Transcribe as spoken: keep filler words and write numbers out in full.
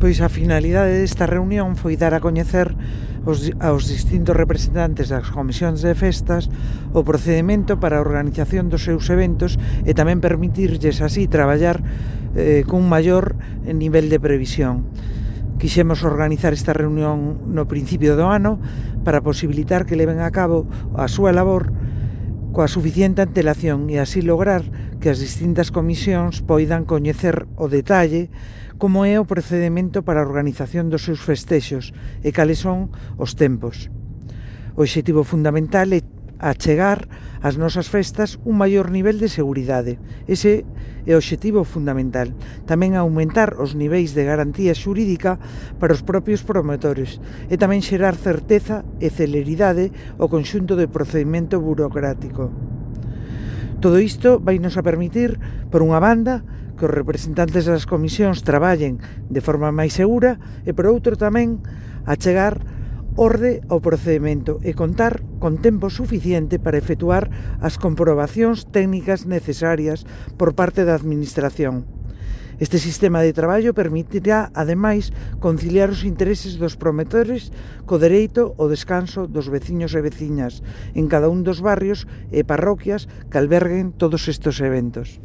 Pois a finalidade desta reunión foi dar a coñecer os, aos distintos representantes das comisións de festas o procedimento para a organización dos seus eventos e tamén permitirlles así traballar eh, cun maior nivel de previsión. Quixemos organizar esta reunión no principio do ano para posibilitar que leven a cabo a súa labor coa suficiente antelación e así lograr que as distintas comisións poidan coñecer o detalle como é o procedimento para a organización dos seus festexos e cales son os tempos. O obxectivo fundamental é achegar ás nosas festas un maior nivel de seguridade. Ese é o obxectivo fundamental. Tamén aumentar os niveis de garantía xurídica para os propios promotores e tamén xerar certeza e celeridade ao conxunto de procedimento burocrático. Todo isto vai nos a permitir, por unha banda, que os representantes das comisións traballen de forma máis segura e, por outro, tamén achegar orde ao procedimento e contar con tempo suficiente para efectuar as comprobacións técnicas necesarias por parte da Administración. Este sistema de traballo permitirá, ademais, conciliar os intereses dos promotores co dereito ao descanso dos veciños e veciñas en cada un dos barrios e parroquias que alberguen todos estes eventos.